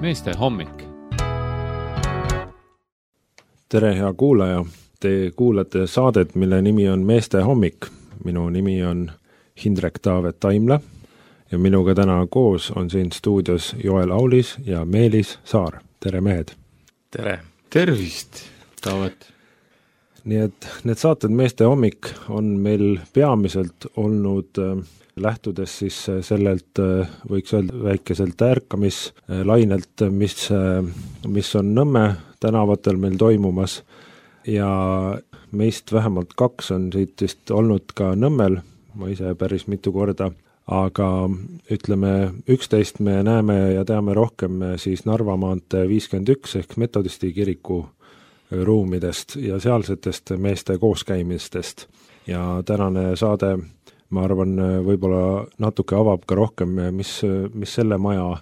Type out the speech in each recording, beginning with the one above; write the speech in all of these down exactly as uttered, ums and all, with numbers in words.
meeste hommik. Tere, hea kuulaja! Te kuulate saadet, mille nimi on Meeste hommik. Minu nimi on Hindrek Taavet Taimla ja minuga täna koos on siin stuudios Joel Aulis ja Meelis Saar. Tere, mehed! Tere! Tervist, Taavet! Nii et need saated Meeste hommik on meil peamiselt olnud äh, lähtudes siis sellelt, äh, võiks öelda väikeselt ärkamislainelt, mis, äh, mis on Nõmme tänavatel meil toimumas ja meist vähemalt kaks on siit vist olnud ka Nõmmel, ma ise päris mitu korda, aga ütleme üksteist me näeme ja teame rohkem siis Narva maantee viiskümmend üks ehk Metodisti kiriku ruumidest ja sealsetest meeste kooskäimistest. Ja tänane saade, ma arvan, võib-olla natuke avab ka rohkem, mis, mis selle maja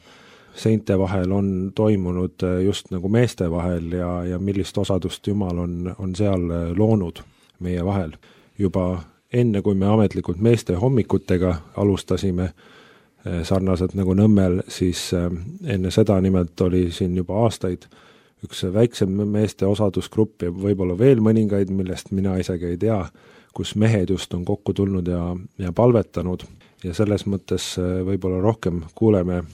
seinte vahel on toimunud just nagu meeste vahel ja, ja millist osadust Jumal on, on seal loonud meie vahel. Juba enne, kui me ametlikult meeste hommikutega alustasime, sarnaselt nagu Nõmmel, siis enne seda nimelt oli siin juba aastaid üks väiksem meeste osadusgrupp ja võib-olla veel mõningaid, millest mina isegi ei tea, kus mehed just on kokku tulnud ja, ja palvetanud ja selles mõttes võib-olla rohkem kuuleme,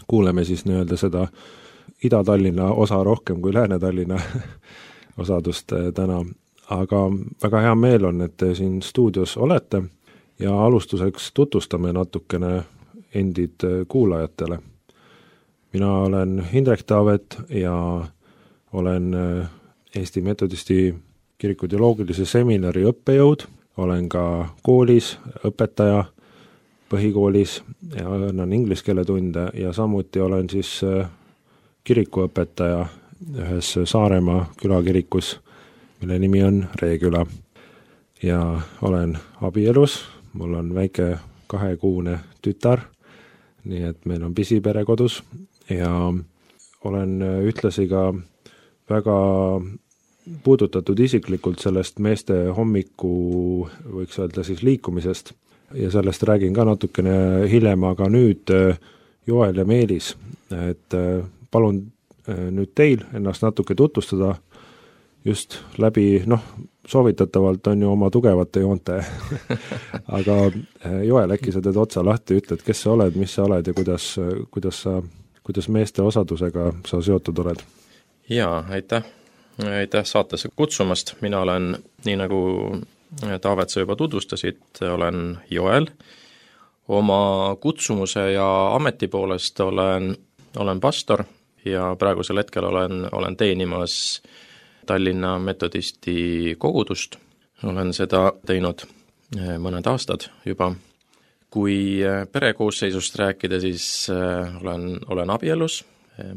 kuuleme siis nii-öelda seda Ida-Tallinna osa rohkem kui Lääne-Tallinna osadust täna. Aga väga hea meel on, et te siin stuudios olete ja alustuseks tutvustame natukene endid kuulajatele. Mina olen Hindrek Taavet ja olen Eesti Metodisti kiriku teoloogilise seminari õppejõud, olen ka koolis õpetaja põhikoolis ja annan inglise keele tunde ja samuti olen siis kirikuõpetaja ühes Saaremaa külakirikus, mille nimi on Reeküla. Ja olen abielus, mul on väike kahekuune tütar, nii et meil on pisipere kodus ja olen ühtlasi ka väga puudutatud isiklikult sellest meeste hommiku, võiks öelda siis liikumisest ja sellest räägin ka natukene hiljem, aga nüüd Joel ja Meelis, et palun nüüd teil ennast natuke tutvustada just läbi, noh, soovitatavalt on ju oma tugevate joonte, aga Joel, äkki sa teed otsa lahti, ütled, kes sa oled, mis sa oled ja kuidas, kuidas, sa, kuidas meeste osadusega sa seotud oled? Jaa, aitäh. Aitäh saatesse kutsumast. Mina olen, nii nagu Taavet sa juba tutvustasid, olen Joel. Oma kutsumuse ja ameti poolest olen, olen pastor ja praegusel hetkel olen, olen teenimas Tallinna Metodisti kogudust. Olen seda teinud mõned aastad juba. Kui perekoosseisust rääkida, siis olen, olen abielus.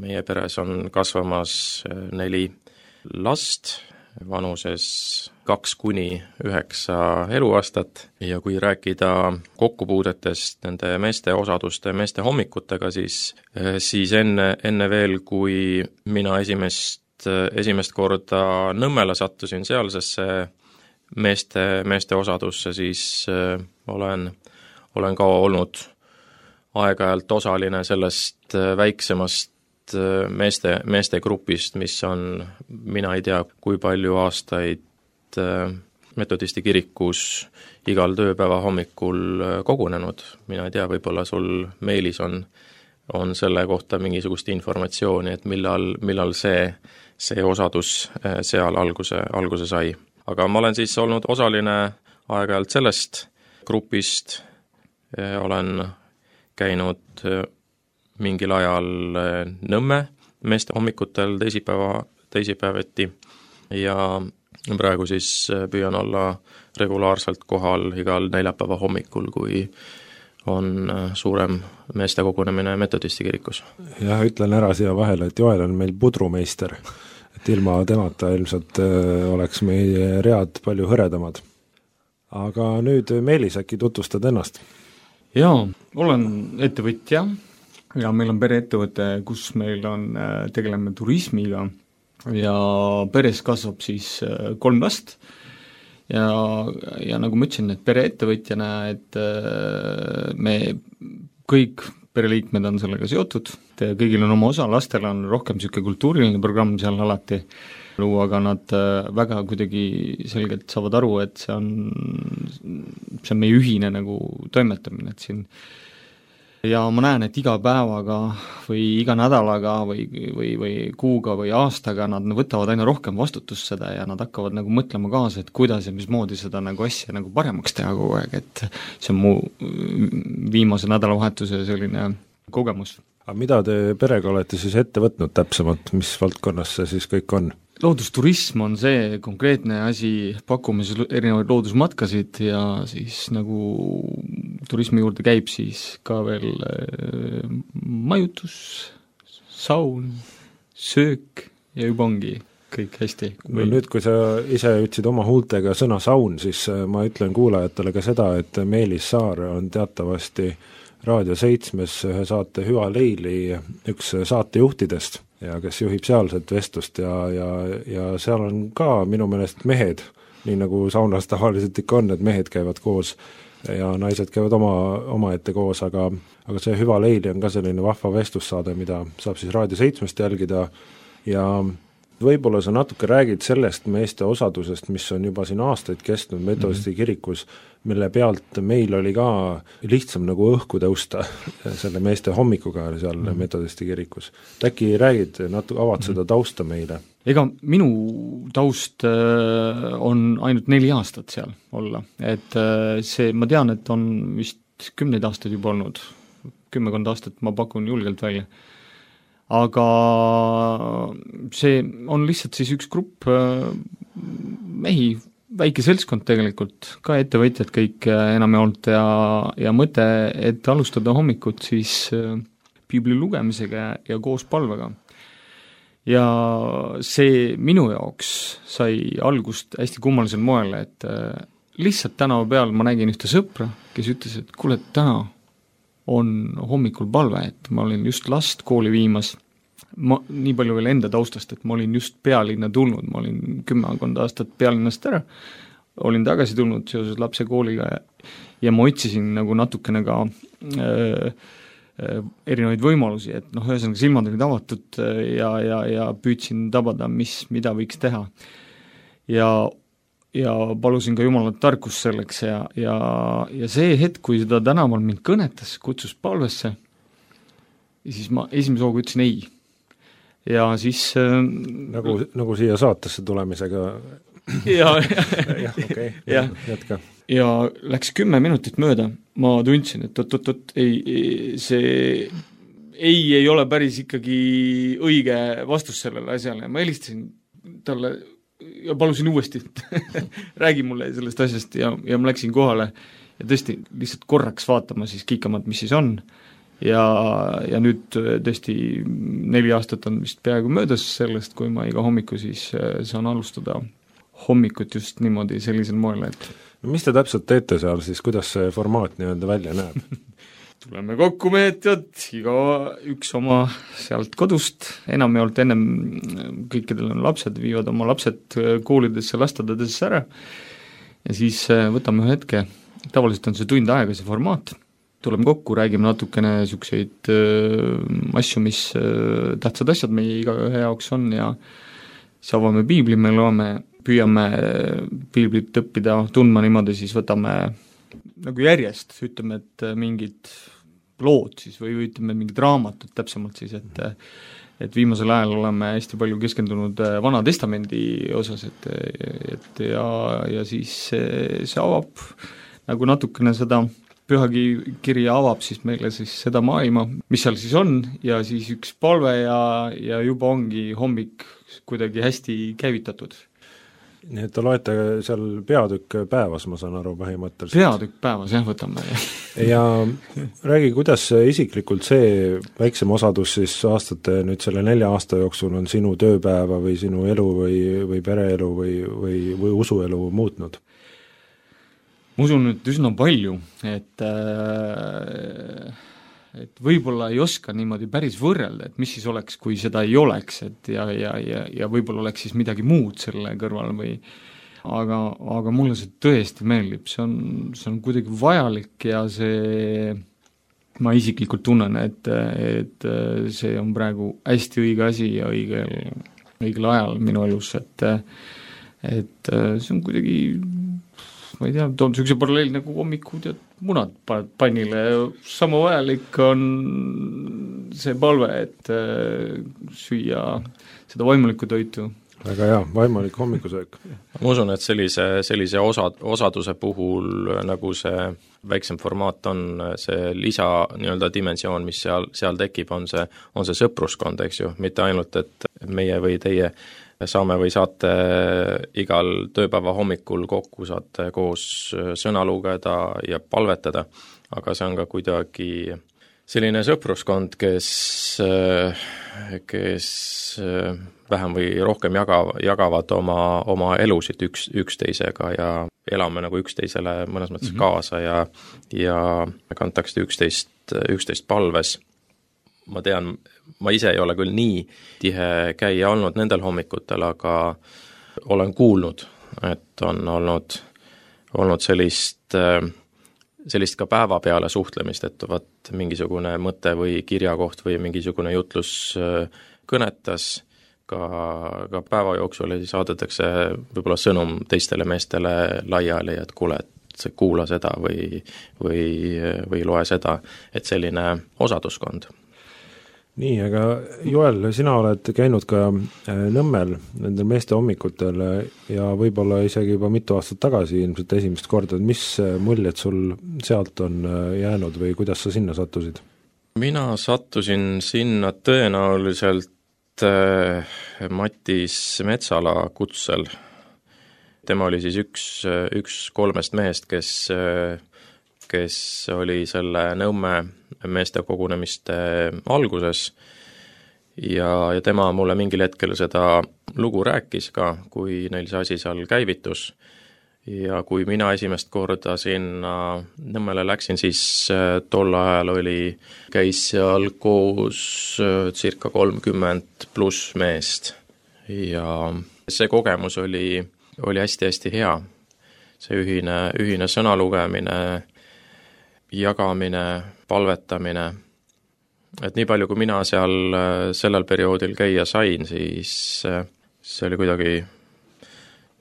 Meie peres on kasvamas neli last, vanuses kaks kuni üheksa eluaastat ja kui rääkida kokkupuudetest nende meeste osaduste, meeste hommikutega, siis, siis enne, enne veel, kui mina esimest, esimest korda Nõmmele sattusin sealsesse meeste, meeste osadusse, siis olen, olen ka olnud aeg-ajalt osaline sellest väiksemast meeste, meeste grupist, mis on, mina ei tea, kui palju aastaid Metodisti kirikus igal tööpäeva hommikul kogunenud. Mina ei tea, võib-olla sul Meelis on, on selle kohta mingisugust informatsiooni, et millal, millal see, see osadus seal alguse, alguse sai. Aga ma olen siis olnud osaline aeg-ajalt sellest grupist, olen käinud mingil ajal Nõmme meeste hommikutel teisipäeva, teisipäeveti ja praegu siis püüan olla regulaarselt kohal igal neljapäeva hommikul, kui on suurem meeste kogunemine Metodisti kirikus. Jah, ütlen ära siia vahele, et Joel on meil pudrumeister, et ilma temata ilmselt oleks meie read palju hõredamad. Aga nüüd Meelis, äkki tutvustad ennast? Jaa, olen ettevõtja ja meil on pereettevõte, kus meil on, tegeleme turismiga ja peres kasvab siis kolm last ja, ja nagu ma ütlesin, et pereettevõtjana, et me kõik pereliikmed on sellega seotud, kõigil on oma osa, lastel on rohkem niisugune kultuuriline programm seal alati luua, aga nad väga kuidagi selgelt saavad aru, et see on, see on meie ühine nagu toimetamine, et siin ja ma näen, et iga päevaga või iga nädalaga või, või, või kuuga või aastaga nad võtavad aina rohkem vastutust seda ja nad hakkavad nagu mõtlema kaasa, et kuidas ja mismoodi seda nagu asja nagu paremaks teha kogu aeg, et see on mu viimase nädalavahetuse selline kogemus. Aga mida te perega olete siis ette võtnud täpsemalt, mis valdkonnas see siis kõik on? Loodusturism on see konkreetne asi, pakume siis erinevaid loodusmatkasid ja siis nagu turismi juurde käib siis ka veel majutus, saun, söök ja juba ongi kõik hästi. No nüüd, kui sa ise ütlesid oma huultega sõna saun, siis ma ütlen kuulajatele ka seda, et Meelis Saar on teatavasti Raadio seitsmes ühe saate Hüva Leili üks saatejuhtidest ja kes juhib sealset vestlust ja, ja, ja seal on ka minu meelest mehed, nii nagu saunas tavaliselt ikka on, et mehed käivad koos ja naised käivad oma, oma ette koos, aga, aga see Hüva Leili on ka selline vahva vestlussaade, mida saab siis Raadio seitsmest jälgida ja võib-olla sa natuke räägid sellest meeste osadusest, mis on juba siin aastaid kestnud metodisti kirikus, mille pealt meil oli ka lihtsam nagu õhku tõusta selle meeste hommikuga seal mm-hmm. metodisti kirikus. Äkki räägid, natuke avad seda tausta meile? Ega minu taust on ainult neli aastat seal olla, et see, ma tean, et on vist kümneid aastaid juba olnud, kümmekond aastat ma pakun julgelt välja. Aga see on lihtsalt siis üks grupp mehi, väike seltskond tegelikult, ka ettevõtjad kõik enam olnud ja, ja mõte, et alustada hommikut siis piibli lugemisega ja koos palvega. Ja see minu jaoks sai algust hästi kummalisel moel, et lihtsalt tänava peal ma nägin ühte sõpra, kes ütles, et kuule, täna on hommikul palve, et ma olin just last kooli viimas, ma nii palju veel enda taustast, et ma olin just pealinna tulnud, ma olin kümmekond aastat pealinnast ära, olin tagasi tulnud seoses lapse kooliga ja, ja ma otsisin nagu natukene ka äh, äh, erinevaid võimalusi, et noh, ühesõnaga silmad olid avatud ja, ja, ja püüdsin tabada, mis, mida võiks teha. Ja ja palusin ka Jumalat tarkust selleks ja, ja, ja see hetk, kui seda tänaval mind kõnetas, kutsus palvesse, siis ma esimese hooga ütlesin ei. Ja siis äh, nagu, nagu siia saatesse tulemisega ja, ja, okay. ja, jätka. Ja läks kümme minutit mööda, ma tundsin, et oot-oot-oot, ei, see ei, ei ole päris ikkagi õige vastus sellele asjale ja ma helistasin talle ja palusin uuesti, räägi mulle sellest asjast ja, ja ma läksin kohale ja tõesti lihtsalt korraks vaatama siis kiikamat, mis siis on ja, ja nüüd tõesti neli aastat on vist peaaegu möödas sellest, kui ma iga hommiku siis saan alustada hommikut just niimoodi sellisel moel, et mis te täpselt teete seal siis, kuidas see formaat nii-öelda välja näeb? Tuleme kokku meetjad, iga üks oma sealt kodust, enam ei olnud ennem, kõikidel on lapsed, viivad oma lapsed koolidesse, lastadadesse ära ja siis võtame ühe hetke, tavaliselt on see tund aega see formaat, tuleme kokku, räägime natukene niisuguseid asju, mis tähtsad asjad meie igaühe jaoks on ja siis avame piibli, me loeme, püüame piiblit õppida, tundma niimoodi, siis võtame nagu järjest, ütleme, et mingid lood siis või ütleme mingid raamatud täpsemalt siis, et et viimasel ajal oleme hästi palju keskendunud Vana Testamendi osas, et, et ja, ja siis see, see avab nagu natukene seda pühakirja avab siis meile siis seda maailma, mis seal siis on ja siis üks palve ja, ja juba ongi hommik kuidagi hästi käivitatud. Nii et te loete seal peatükk päevas, ma saan aru põhimõtteliselt. Peatükk päevas, jah, võtame. ja räägi, kuidas isiklikult see väiksem osadus siis aastate nüüd selle nelja aasta jooksul on sinu tööpäeva või sinu elu või, või pereelu või, või, või usuelu muutnud? Ma usun nüüd üsna palju, et äh, et võib-olla ei oska niimoodi päris võrrelda, et mis siis oleks, kui seda ei oleks, et ja, ja, ja, ja võib-olla oleks siis midagi muud selle kõrval või aga, aga mulle see tõesti meeldib, see on, see on kuidagi vajalik ja see ma isiklikult tunnen, et, et see on praegu hästi õige asi ja õigel, õigel ajal minu elus, et et see on kuidagi, ma ei tea, toon niisuguse paralleeli nagu hommikud ja munad paned pannile, sama vajalik on see palve, et süüa seda vaimulikku toitu. Väga hea, vaimulik hommikusöök. Ma usun, et sellise, sellise osa, osaduse puhul, nagu see väiksem formaat on, see lisa nii-öelda dimensioon, mis seal, seal tekib, on see, on see sõpruskond, eks ju, mitte ainult, et meie või teie saame või saate igal tööpäeva hommikul kokku, saate koos sõna lugeda ja palvetada, aga see on ka kuidagi selline sõpruskond, kes, kes vähem või rohkem jagav, jagavad oma, oma elusid üks, üksteisega ja elame nagu üksteisele mõnes mõttes mm-hmm. kaasa ja, ja kantakse üksteist, üksteist palves. Ma tean, ma ise ei ole küll nii tihe käia olnud nendel hommikutel, aga olen kuulnud, et on olnud, olnud sellist, sellist ka päeva peale suhtlemist, et vaat mingisugune mõte või kirjakoht või mingisugune jutlus kõnetas ka, ka päeva jooksul ja siis saadetakse võib-olla sõnum teistele meestele laiali, et kuule, et kuula seda või, või, või loe seda, et selline osaduskond. Nii, aga Joel, sina oled käinud ka Nõmmel nendel meeste hommikutel ja võib-olla isegi juba mitu aastat tagasi ilmselt esimest korda, mis muljed sul sealt on jäänud või kuidas sa sinna sattusid? Mina sattusin sinna tõenäoliselt Mattis Metsala kutsel. Tema oli siis üks, üks kolmest mehest, kes kes oli selle Nõmme meeste kogunemiste alguses ja, ja tema mulle mingil hetkel seda lugu rääkis ka, kui neil see asi seal käivitus. Ja kui mina esimest korda sinna Nõmmele läksin, siis tol ajal oli, käis seal koos circa kolmkümmend pluss meest ja see kogemus oli, oli hästi-hästi hea. See ühine, ühine sõna lugemine, jagamine, palvetamine, et nii palju, kui mina seal sellel perioodil käia sain, siis see oli kuidagi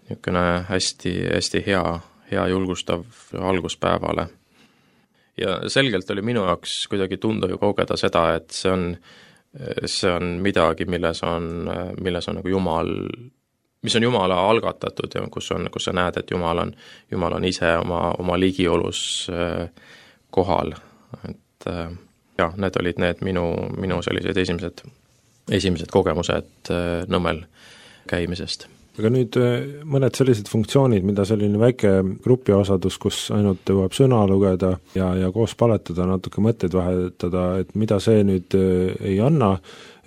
niisugune hästi, hästi hea, hea julgustav alguspäevale. Ja selgelt oli minu jaoks kuidagi tunda ja kogeda seda, et see on, see on midagi, milles on, milles on nagu Jumal, mis on Jumala algatatud ja kus on, kus sa näed, et Jumal on, Jumal on ise oma, oma ligiolus kohal, et jah, need olid need minu, minu sellised esimesed, esimesed kogemused Nõmmel käimisest. Aga nüüd mõned sellised funktsioonid, mida selline väike grupiosadus, kus ainult jõuab sõna lugeda ja, ja koos paletada, natuke mõtteid vahetada, et mida see nüüd ei anna,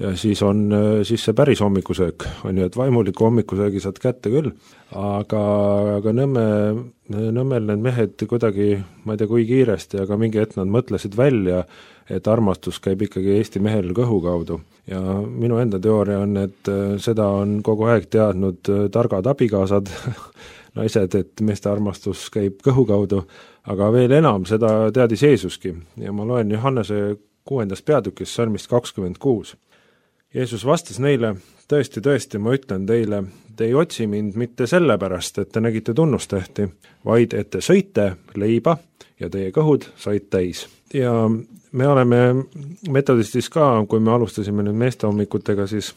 ja siis on siis see päris hommikusöök, on ju, et vaimuliku hommikusöögi saad kätte küll, aga, aga Nõmme, Nõmmel need mehed kuidagi, ma ei tea, kui kiiresti, aga mingi hetk nad mõtlesid välja, et armastus käib ikkagi Eesti mehel kõhu kaudu. Ja minu enda teooria on, et seda on kogu aeg teadnud targad abikaasad, naised, et meeste armastus käib kõhu kaudu, aga veel enam seda teadis Jeesuski. Ja ma loen Johannese kuuendast peatükist salmist kakskümmend kuus. Jeesus vastas neile, tõesti, tõesti, ma ütlen teile, te ei otsi mind mitte sellepärast, et te nägite tunnustehti, vaid et te sõite leiba ja teie kõhud said täis. Ja me oleme metodistis ka, kui me alustasime nüüd meeste hommikutega, siis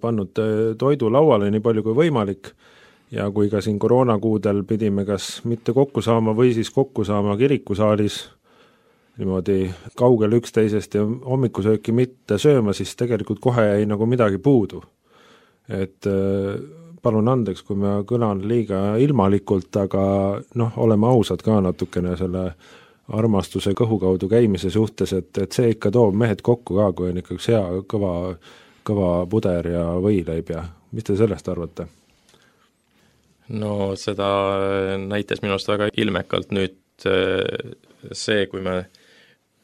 pannud toidu lauale nii palju kui võimalik ja kui ka siin koroonakuudel pidime kas mitte kokku saama või siis kokku saama kirikusaalis niimoodi kaugel üksteisest ja hommikusööki mitte sööma, siis tegelikult kohe jäi nagu midagi puudu. Et palun andeks, kui ma kõlan liiga ilmalikult, aga noh, oleme ausad ka natukene selle armastuse kõhu kaudu käimise suhtes, et, et see ikka toob mehed kokku ka, kui on ikka üks hea kõva, kõva puder ja võileib ja mis te sellest arvate? No seda näitas minust väga ilmekalt nüüd see, kui me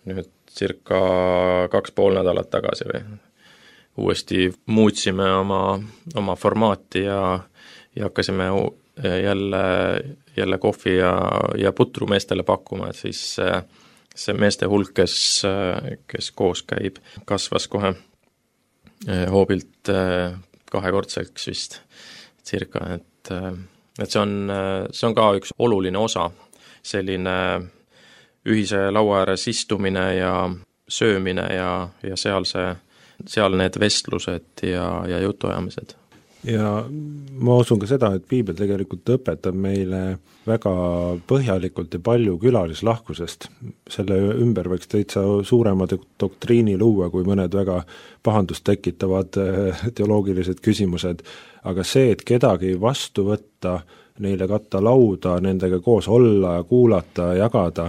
nüüd circa kaks pool nädalat tagasi või uuesti muutsime oma, oma formaati ja, ja hakkasime jälle, jälle kohvi ja, ja putru meestele pakkuma, et siis see meeste hulk, kes, kes koos käib, kasvas kohe hoobilt kahekordselt vist circa, et, et see on, see on ka üks oluline osa, selline ühise laua ääres istumine ja söömine ja, ja seal see, seal need vestlused ja, ja jutuajamised. Ja ma usun ka seda, et piibel tegelikult õpetab meile väga põhjalikult ja palju külalislahkusest. Selle ümber võiks täitsa suurema doktriini luua, kui mõned väga pahandust tekitavad teoloogilised küsimused, aga see, et kedagi vastu võtta, neile katta lauda, nendega koos olla ja kuulata, jagada,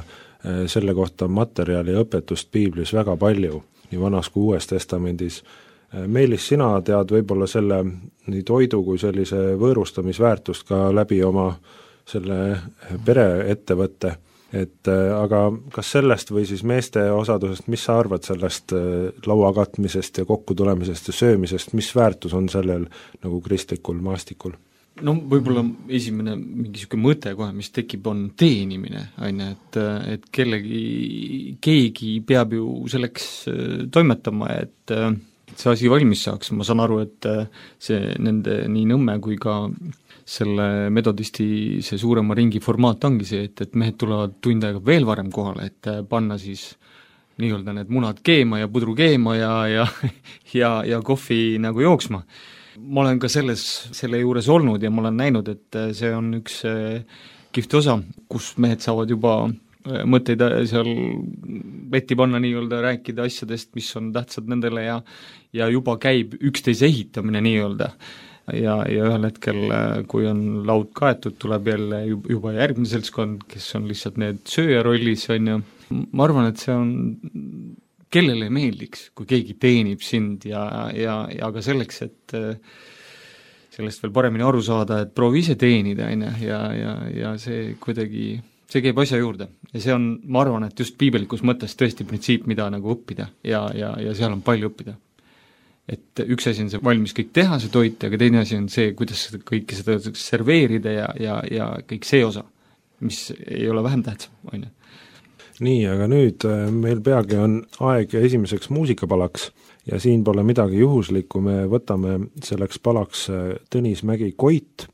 selle kohta on materjali ja õpetust piiblis väga palju, nii Vanas kui Uues Testamendis. Meelis, sina tead võib-olla selle nii toidu kui sellise võõrustamisväärtust ka läbi oma selle pereettevõtte, et aga kas sellest või siis meeste osadusest, mis sa arvad sellest laua katmisest ja kokkutulemisest ja söömisest, mis väärtus on sellel nagu kristlikul maastikul? No võib-olla esimene mingi niisugune mõte kohe, mis tekib, on teenimine, on ju, et, et kellegi, keegi peab ju selleks toimetama, et see asi valmis saaks. Ma saan aru, et see nende nii Nõmme kui ka selle metodisti see suurema ringi formaat ongi see, et, et mehed tulevad tund aega veel varem kohale, et panna siis nii-öelda need munad keema ja pudru keema ja, ja, ja, ja kohvi nagu jooksma. Ma olen ka selles, selle juures olnud ja ma olen näinud, et see on üks kihvt osa, kus mehed saavad juba mõtteid seal vetti panna nii-öelda, rääkida asjadest, mis on tähtsad nendele ja, ja juba käib üksteise ehitamine nii-öelda. Ja, ja ühel hetkel, kui on laud kaetud, tuleb jälle juba järgmine seltskond, kes on lihtsalt need sööja rollis, on ju. Ma arvan, et see on, kellele meeldiks, kui keegi teenib sind ja, ja, ja ka selleks, et sellest veel paremini aru saada, et proovi ise teenida, on ju, ja, ja, ja see kuidagi see käib asja juurde ja see on, ma arvan, et just piibelikus mõttes tõesti printsiip, mida nagu õppida ja, ja, ja seal on palju õppida. Et üks asi on see valmis kõik teha, see toit, aga teine asi on see, kuidas kõike seda serveerida ja, ja, ja kõik see osa, mis ei ole vähem tähtsam, on ju. Nii, aga nüüd meil peagi on aeg esimeseks muusikapalaks ja siin pole midagi juhuslikku, me võtame selleks palaks Tõnis Mägi Koit.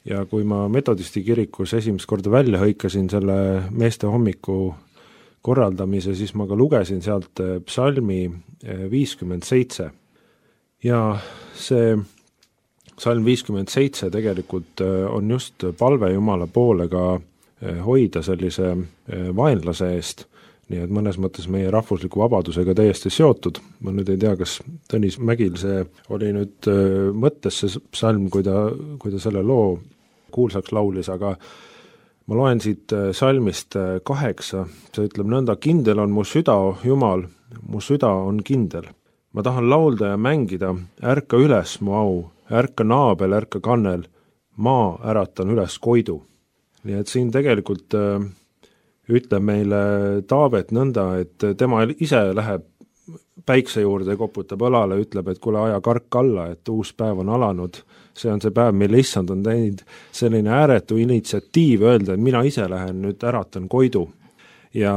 Ja kui ma metodisti kirikus esimest korda välja hõikasin selle meeste hommiku korraldamise, siis ma ka lugesin sealt psalmi viiskümmend seitse. Ja see psalm viiskümmend seitse tegelikult on just palve Jumala poole ka hoida sellise vaenlase eest, nii et mõnes mõttes meie rahvusliku vabadusega täiesti seotud. Ma nüüd ei tea, kas Tõnis Mägil see oli nüüd mõttes see psalm, kui ta, kui ta selle loo kuulsaks laulis, aga ma loen siit salmist kaheksa, see ütleb nõnda, kindel on mu süda, Jumal, mu süda on kindel. Ma tahan laulda ja mängida, ärka üles mu au, ärka naabel, ärka kannel, maa äratan üles koidu. Nii et siin tegelikult äh, ütleb meile Taavet nõnda, et tema ise läheb päikse juurde, koputab õlale, ütleb, et kuule, aja kark alla, et uus päev on alanud. See on see päev, mille issand on teinud selline ääretu initsiatiiv öelda, et mina ise lähen nüüd äratan koidu. Ja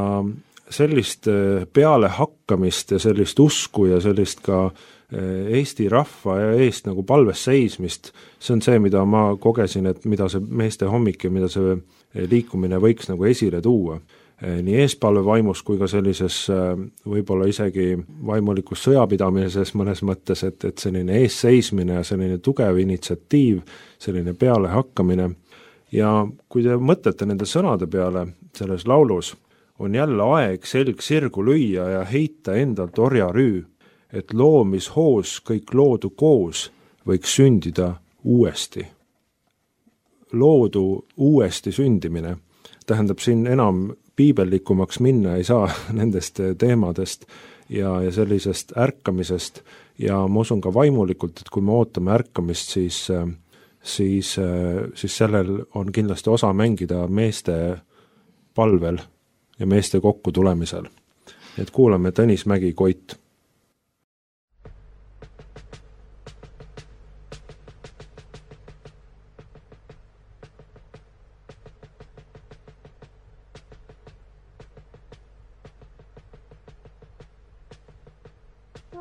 sellist peale hakkamist ja sellist usku ja sellist ka Eesti rahva ja eest nagu palves seismist, see on see, mida ma kogesin, et mida see meeste hommik ja mida see liikumine võiks nagu esile tuua. Nii eespalve vaimus kui ka sellises võib-olla isegi vaimulikus sõjapidamises mõnes mõttes, et, et selline eesseismine ja selline tugev initsiatiiv, selline peale hakkamine. Ja kui te mõtlete nende sõnade peale selles laulus, on jälle aeg selg sirgu lüüa ja heita endalt orjarüü, et loomishoos kõik loodu koos võiks sündida uuesti. Loodu uuesti sündimine tähendab siin enam piibellikumaks minna ei saa nendest teemadest ja, ja sellisest ärkamisest ja ma usun ka vaimulikult, et kui me ootame ärkamist, siis, siis, siis sellel on kindlasti osa mängida meeste palvel ja meeste kokku tulemisel. Et kuulame Tõnis Mägi Koit. On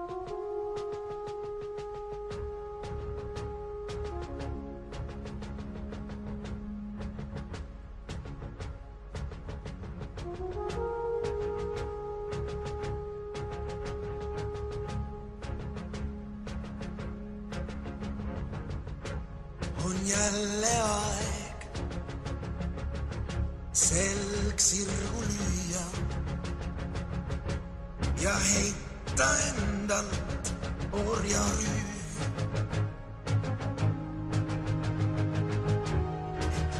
jälle aeg selg sirgu lüüa ja heita endalt orjarüüv.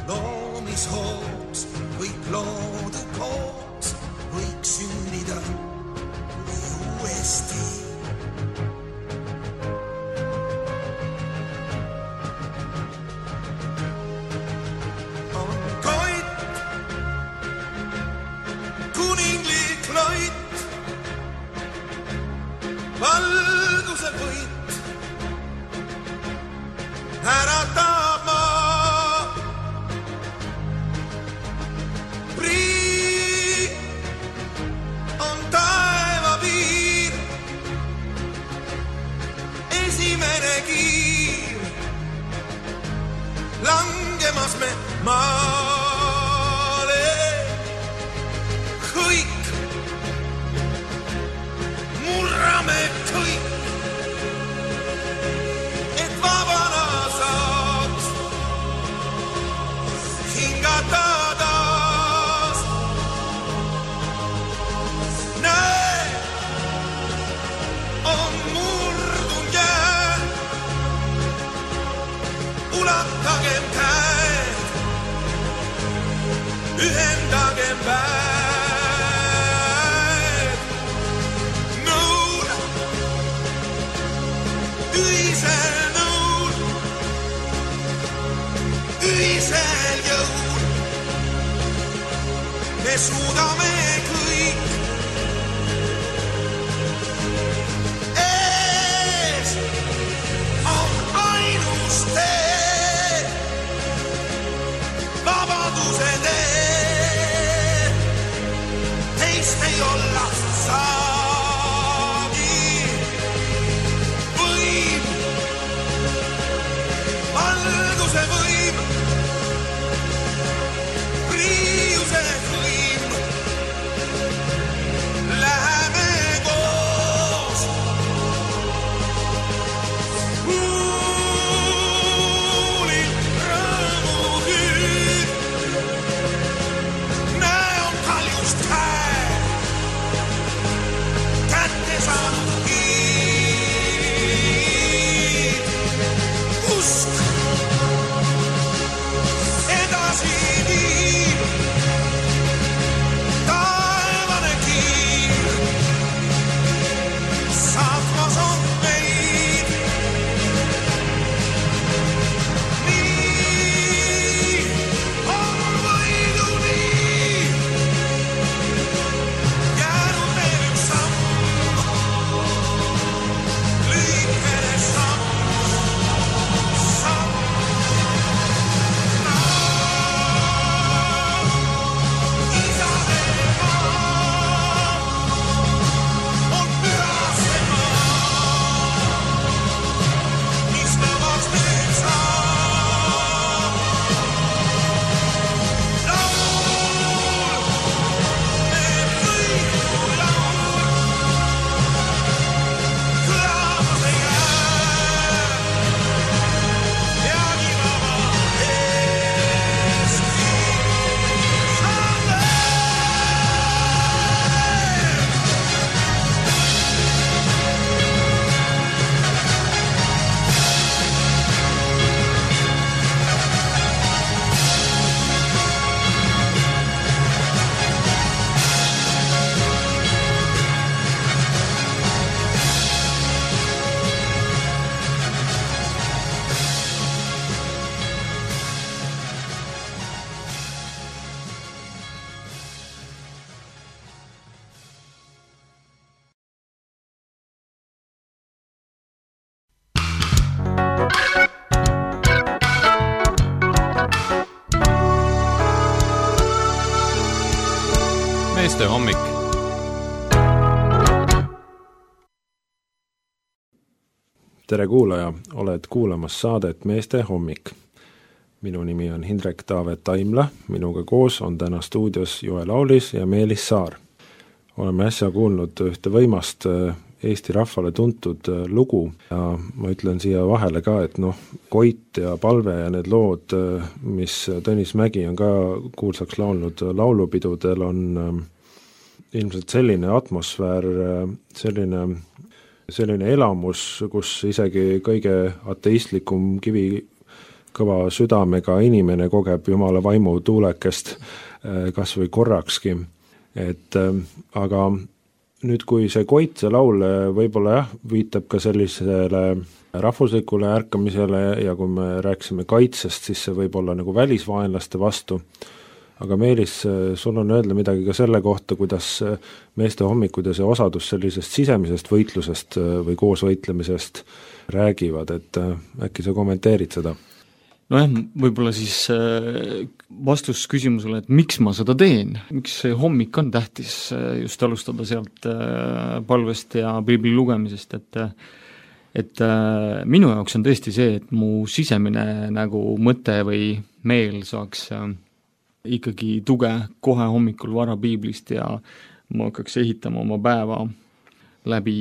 Loomishooks kõik loodu koos võiks sünnida uuesti. Valguse võit äratab maa. Prii on taeva piir, esimene kiir, langemas me maale. Kõik murrame kõik, et vabana saaks hingata taas. Näe, on murdund jää, ulatagem käed, ühendagem väed. Ühisel nõul, ühisel jõul me suudame kõik. Ees on ainus tee, vabaduse tee, teist ei olla saa. Valguse võim, priiuse võim, läheme koos. Kuuli rõõmu hüüd, näe on kaljust käe, kätte saanud kiid. Usk taevane kiir, saatmas on meid. Nii on võiduni jäänud meil üks samm, lühikene samm, samm. meeste hommik. tere kuulaja, oled kuulamas saadet Meeste hommik. Minu nimi on Hindrek Taavet Taimla, minuga koos on täna stuudios Joel Aulis ja Meelis Saar. Oleme äsja kuulnud ühte võimast Eesti rahvale tuntud lugu ja ma ütlen siia vahele ka, et noh, Koit ja Palve ja need lood, mis Tõnis Mägi on ka kuulsaks laulnud laulupidudel, on ilmselt selline atmosfäär, selline selline elamus, kus isegi kõige ateistlikum kivi kõva südamega inimene kogeb Jumala vaimu tuulekest kas või korrakski. Et, aga nüüd, kui see Koit, see laul võib-olla jah, viitab ka sellisele rahvuslikule ärkamisele ja kui me rääksime kaitsest, siis see võib olla nagu välisvaenlaste vastu. Aga Meelis, sul on öelda midagi ka selle kohta, kuidas Meeste hommikud ja see osadus sellisest sisemisest võitlusest või koos võitlemisest räägivad, et äkki sa kommenteerid seda? Nojah, võib-olla siis vastus küsimusele, et miks ma seda teen, miks see hommik on tähtis just alustada sealt palvest ja piibli lugemisest, et et minu jaoks on tõesti see, et mu sisemine nagu mõte või meel saaks ikkagi tuge kohe hommikul vara piiblist ja ma hakkaks ehitama oma päeva läbi,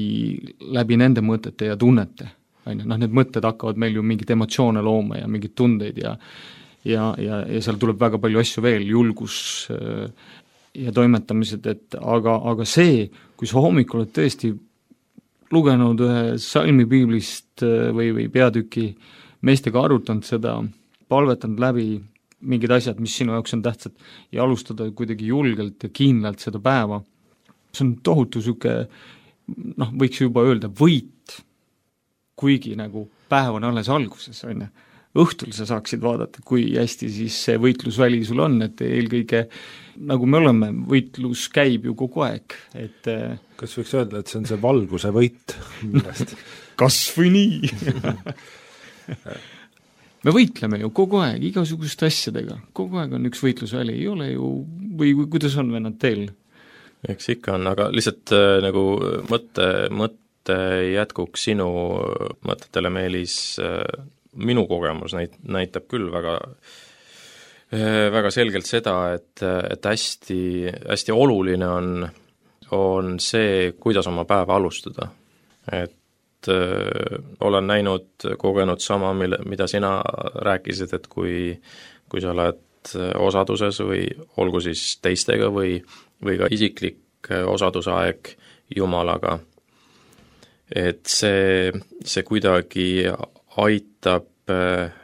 läbi nende mõtete ja tunnete. Noh, need mõtted hakkavad meil ju mingit emotsioone looma ja mingit tundeid ja, ja, ja, ja seal tuleb väga palju asju veel, julgus ja toimetamised, et aga, aga see, kui sa hommikul oled tõesti lugenud ühe salmi piiblist või, või peatüki, meestega arutanud seda, palvetanud läbi mingid asjad, mis sinu jaoks on tähtsad ja alustada kuidagi julgelt ja kindlalt seda päeva. See on tohutu süke, noh, võiks juba öelda võit, kuigi nagu päev on alles alguses, on. Õhtul sa saaksid vaadata, kui hästi siis see võitlusväli sul on, et eelkõige, nagu me oleme, võitlus käib ju kogu aeg. Et, kas võiks öelda, et see on see valguse võit? Kas või nii? Me võitleme ju kogu aeg, igasuguste asjadega, kogu aeg on üks võitlusväli, ei ole ju, või kuidas on vennad teil? Eks ikka on, aga lihtsalt äh, nagu mõtte, mõtte jätkuks sinu mõtetele, Meelis, äh, minu kogemus näit, näitab küll väga, äh, väga selgelt seda, et, et hästi, hästi oluline on, on see, kuidas oma päeva alustada. Et Öö, olen näinud, kogenud sama, mille, mida sina rääkisid, et kui, kui sa oled osaduses või olgu siis teistega või, või ka isiklik osadusaeg Jumalaga, et see, see kuidagi aitab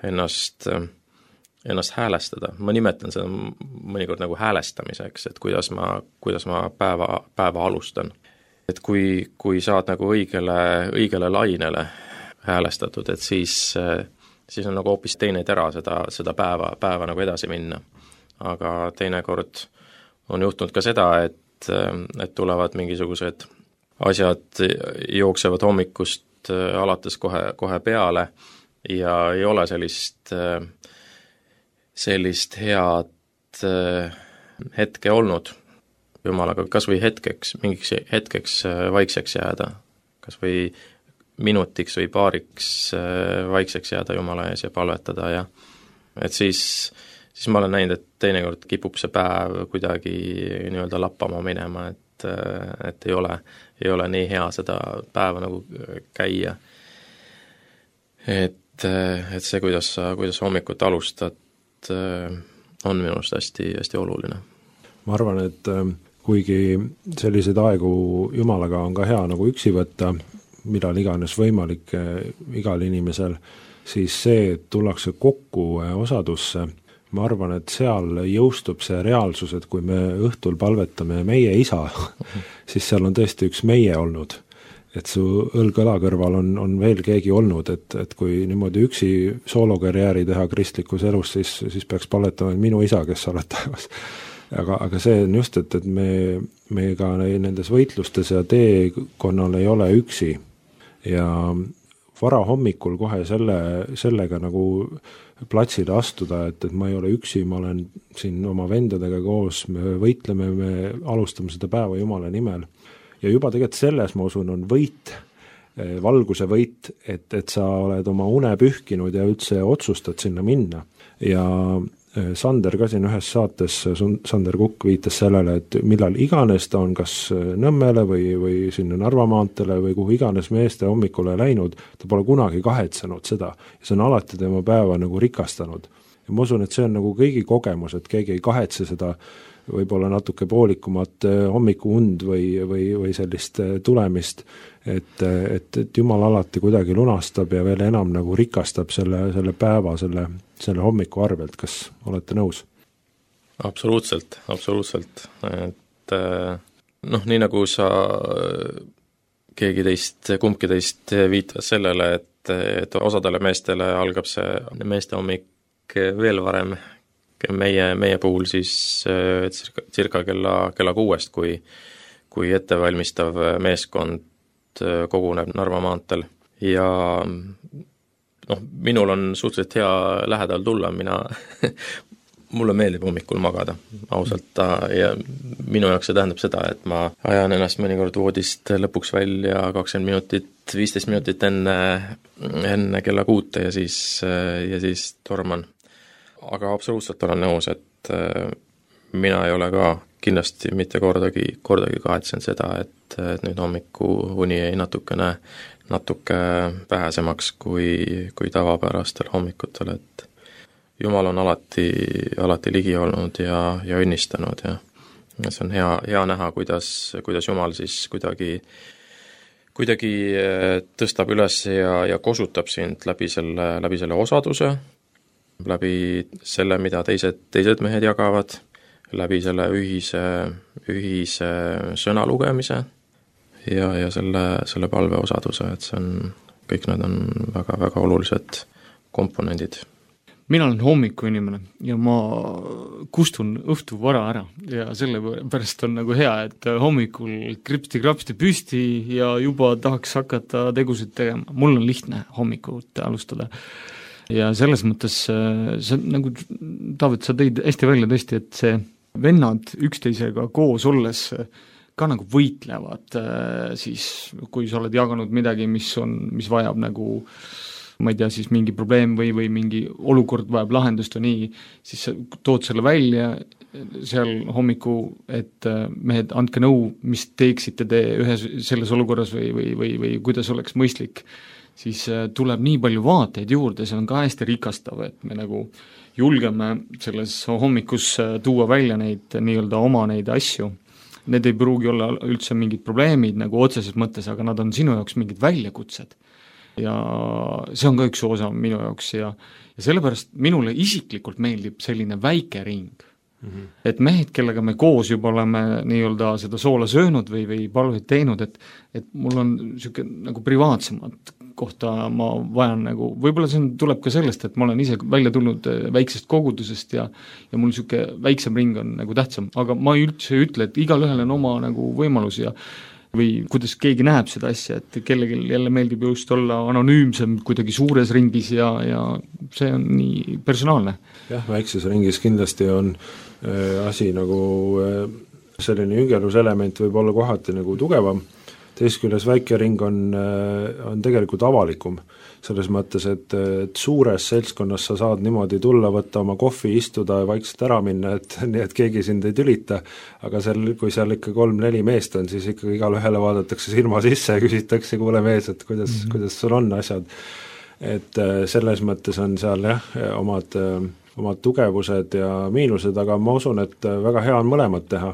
ennast, ennast häälestada. Ma nimetan seda mõnikord nagu häälestamiseks, et kuidas ma, kuidas ma päeva, päeva alustan. Et kui, kui saad nagu õigele, õigele lainele häälestatud, et siis, siis on nagu hoopis teine tera seda, seda päeva, päeva nagu edasi minna. Aga teinekord on juhtunud ka seda, et, et tulevad mingisugused asjad, jooksevad hommikust alates kohe, kohe peale ja ei ole sellist, sellist head hetke olnud Jumalaga, kas või hetkeks, mingiks hetkeks vaikseks jääda, kas või minutiks või paariks vaikseks jääda Jumala ees ja palvetada ja et siis, siis ma olen näinud, et teinekord kipub see päev kuidagi nii-öelda lappama minema, et, et ei ole, ei ole nii hea seda päeva nagu käia. Et, et see, kuidas sa, kuidas sa hommikut alustad, on minu arust hästi, hästi oluline. Ma arvan, et kuigi selliseid aegu Jumalaga on ka hea nagu üksi võtta, millal iganes võimalik igal inimesel, siis see, et tullakse kokku osadusse, ma arvan, et seal jõustub see reaalsus, et kui me õhtul palvetame meie isa, siis seal on tõesti üks meie olnud. Et su õlg-õla kõrval on, on veel keegi olnud, et, et kui niimoodi üksi soolokarjääri teha kristlikus elus, siis, siis peaks palvetama minu isa, kes sa oled taevas. Aga, aga see on just, et, et me, me ka nendes võitlustes ja teekonnal ei ole üksi ja vara hommikul kohe selle, sellega nagu platsile astuda, et, et ma ei ole üksi, ma olen siin oma vendadega koos, me võitleme, me alustame seda päeva Jumala nimel ja juba tegelikult selles, ma usun, on võit, valguse võit, et, et sa oled oma une pühkinud ja üldse otsustad sinna minna. Ja Sander ka siin ühes saates, Sander Kukk viitas sellele, et millal iganes ta on kas Nõmmele või, või sinna Narva maantele või kuhu iganes meeste hommikule läinud, ta pole kunagi kahetsenud seda ja see on alati tema päeva nagu rikastanud. Ja ma usun, et see on nagu kõigi kogemus, et keegi ei kahetse seda võib-olla natuke poolikumat hommikuund või, või, või sellist tulemist, et, et, et Jumal alati kuidagi lunastab ja veel enam nagu rikastab selle, selle päeva, selle, selle hommiku arvelt, kas olete nõus? Absoluutselt, absoluutselt, et noh, nii nagu sa keegi teist, kumbki teist viitas sellele, et, et osadele meestele algab see meeste hommik veel varem, meie, meie puhul siis cirka, cirka kella, kella kuuest, kui, kui ettevalmistav meeskond koguneb Narva maantel ja noh, minul on suhteliselt hea lähedal tulla, mina mulle meeldib hommikul magada, ausalt, ja minu jaoks see tähendab seda, et ma ajan ennast mõnikord voodist lõpuks välja kakskümmend minutit, viisteist minutit enne, enne kella kuute ja siis, ja siis torman. Aga absoluutselt olen nõus, et mina ei ole ka kindlasti mitte kordagi, kordagi kahetsenud seda, et, et nüüd hommiku uni jäi natukene, natuke vähesemaks kui, kui tavapärastel hommikutel, et Jumal on alati, alati ligi olnud ja, ja õnnistanud ja, ja see on hea, hea näha, kuidas, kuidas Jumal siis kuidagi, kuidagi tõstab üles ja, ja kosutab sind läbi selle, läbi selle osaduse, läbi selle, mida teised, teised mehed jagavad, läbi selle ühise, ühise sõna lugemise ja, ja selle, selle palve osaduse, et see on, kõik need on väga, väga olulised komponendid. Mina olen hommiku inimene ja ma kustun õhtu vara ära ja selle pärast on nagu hea, et hommikul kripsti-krapsti püsti ja juba tahaks hakata tegusid tegema. Mul on lihtne hommikut alustada. Ja selles mõttes see nagu, Taavet, sa tõid hästi välja tõesti, et see vennad üksteisega koos olles ka nagu võitlevad siis, kui sa oled jaganud midagi, mis on, mis vajab nagu ma ei tea, siis mingi probleem või, või mingi olukord vajab lahendust või nii, siis sa tood selle välja seal hommiku, et mehed, andke nõu, mis teeksite te ühes selles olukorras või, või, või, või kuidas oleks mõistlik, siis tuleb nii palju vaateid juurde, see on ka hästi rikastav, et me nagu julgeme selles hommikus tuua välja neid nii-öelda oma neid asju. Need ei pruugi olla üldse mingid probleemid nagu otseses mõttes, aga nad on sinu jaoks mingid väljakutsed. Ja see on ka üks osa minu jaoks ja, ja sellepärast minule isiklikult meeldib selline väike ring. Mm-hmm. Et mehed, kellega me koos juba oleme nii-öelda seda soola söönud või, või palveid teinud, et, et mul on siuke nagu privaatsemat kohta ma vajan nagu, võib-olla see tuleb ka sellest, et ma olen ise välja tulnud väiksest kogudusest ja, ja mul siuke väiksem ring on nagu tähtsam, aga ma üldse ütle, et igal ühel on oma nagu võimalus ja või kuidas keegi näeb seda asja, et kellelgi jälle meeldib just olla anonüümsem kuidagi suures ringis ja, ja see on nii personaalne. Jah, väikses ringis kindlasti on äh, asi nagu äh, selline üngeluselement võib olla kohati nagu tugevam, teist küljes väike ring on, äh, on tegelikult avalikum, selles mõttes, et, et suures seltskonnas sa saad niimoodi tulla, võtta oma kohvi, istuda ja vaikselt ära minna, et nii, et keegi sind ei tülita, aga seal, kui seal ikka kolm-neli meest on, siis ikka igal ühele vaadatakse silma sisse ja küsitakse, kuule mees, et kuidas, mm-hmm. kuidas sul on asjad. Et selles mõttes on seal jah, omad, omad tugevused ja miinused, aga ma usun, et väga hea on mõlemad teha.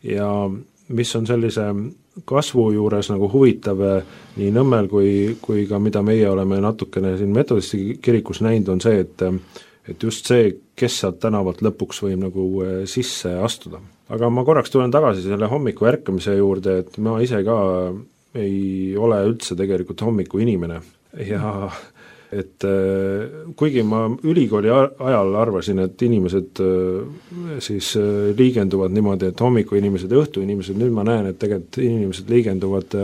Ja mis on sellise kasvu juures nagu huvitav nii Nõmmel kui, kui ka mida meie oleme natukene siin metodisti kirikus näinud, on see, et, et just see, kes sealt tänavalt lõpuks võib nagu sisse astuda. Aga ma korraks tulen tagasi selle hommiku ärkamise juurde, et ma ise ka ei ole üldse tegelikult hommiku inimene ja et kuigi ma ülikooli ajal arvasin, et inimesed siis liigenduvad niimoodi, et hommiku inimesed ja õhtu inimesed, nüüd ma näen, et tegelikult inimesed liigenduvad,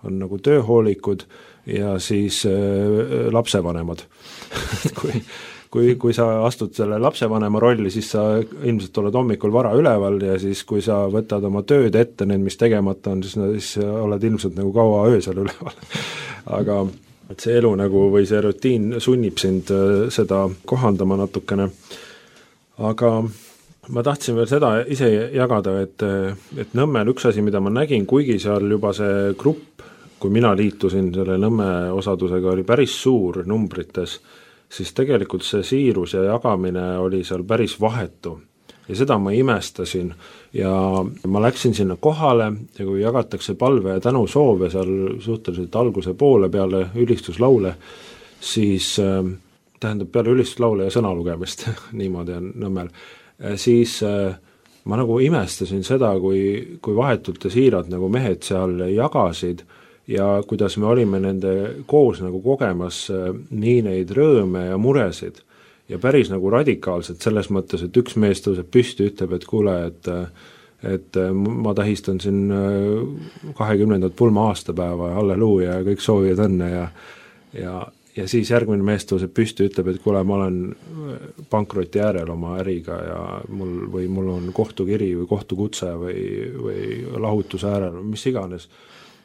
on nagu tööhoolikud ja siis lapsevanemad kui, kui, kui sa astud selle lapsevanema rolli, siis sa ilmselt oled hommikul vara üleval ja siis kui sa võtad oma tööd ette, need, mis tegemata on, siis, siis oled ilmselt nagu kaua öösel üleval. Aga et see elu nagu või see rutiin sunnib sind seda kohandama natukene. Aga ma tahtsin veel seda ise jagada, et, et Nõmmel üks asi, mida ma nägin, kuigi seal juba see grupp, kui mina liitusin selle Nõmme osadusega, oli päris suur numbrites, siis tegelikult see siirus ja jagamine oli seal päris vahetu. Ja seda ma imestasin ja ma läksin sinna kohale ja kui jagatakse palve ja tänusoove seal suhteliselt alguse poole peale ülistuslaule, siis tähendab peale ülistuslaule ja sõna lugemist, niimoodi on Nõmmel, siis ma nagu imestasin seda, kui, kui vahetult ja siirad nagu mehed seal jagasid ja kuidas me olime nende koos nagu kogemas nii neid rõõme ja muresid. Ja päris nagu radikaalselt selles mõttes, et üks mees tõuseb püsti, ütleb, et kuule, et, et ma tähistan siin kahekümnendat pulma aastapäeva ja halleluuja ja kõik soovivad õnne ja, ja, ja siis järgmine mees tõuseb püsti, ütleb, et kuule, ma olen pankroti äärel oma äriga ja mul, või mul on kohtukiri või kohtukutse või, või lahutuse äärel, mis iganes.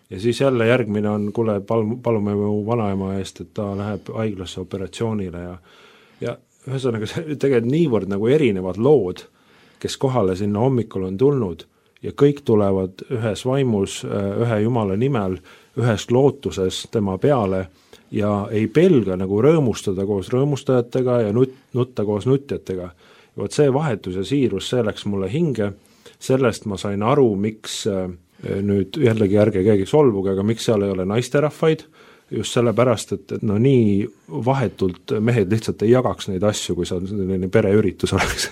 Ja siis jälle järgmine on, kuule, pal, palume mu vanaema eest, et ta läheb haiglasse operatsioonile ja, ja ühesõnaga tegelikult niivõrd nagu erinevad lood, kes kohale sinna hommikul on tulnud ja kõik tulevad ühes vaimus, ühe Jumala nimel, ühes lootuses tema peale ja ei pelga nagu rõõmustada koos rõõmustajatega ja nut, nutta koos nutjatega. Ja võt see vahetus ja siirus, see läks mulle hinge, sellest ma sain aru, miks nüüd jällegi ärge keegi solvuge, aga miks seal ei ole naisterahvaid, just sellepärast, et, et no nii vahetult mehed lihtsalt ei jagaks neid asju, kui see on selline pereüritus oleks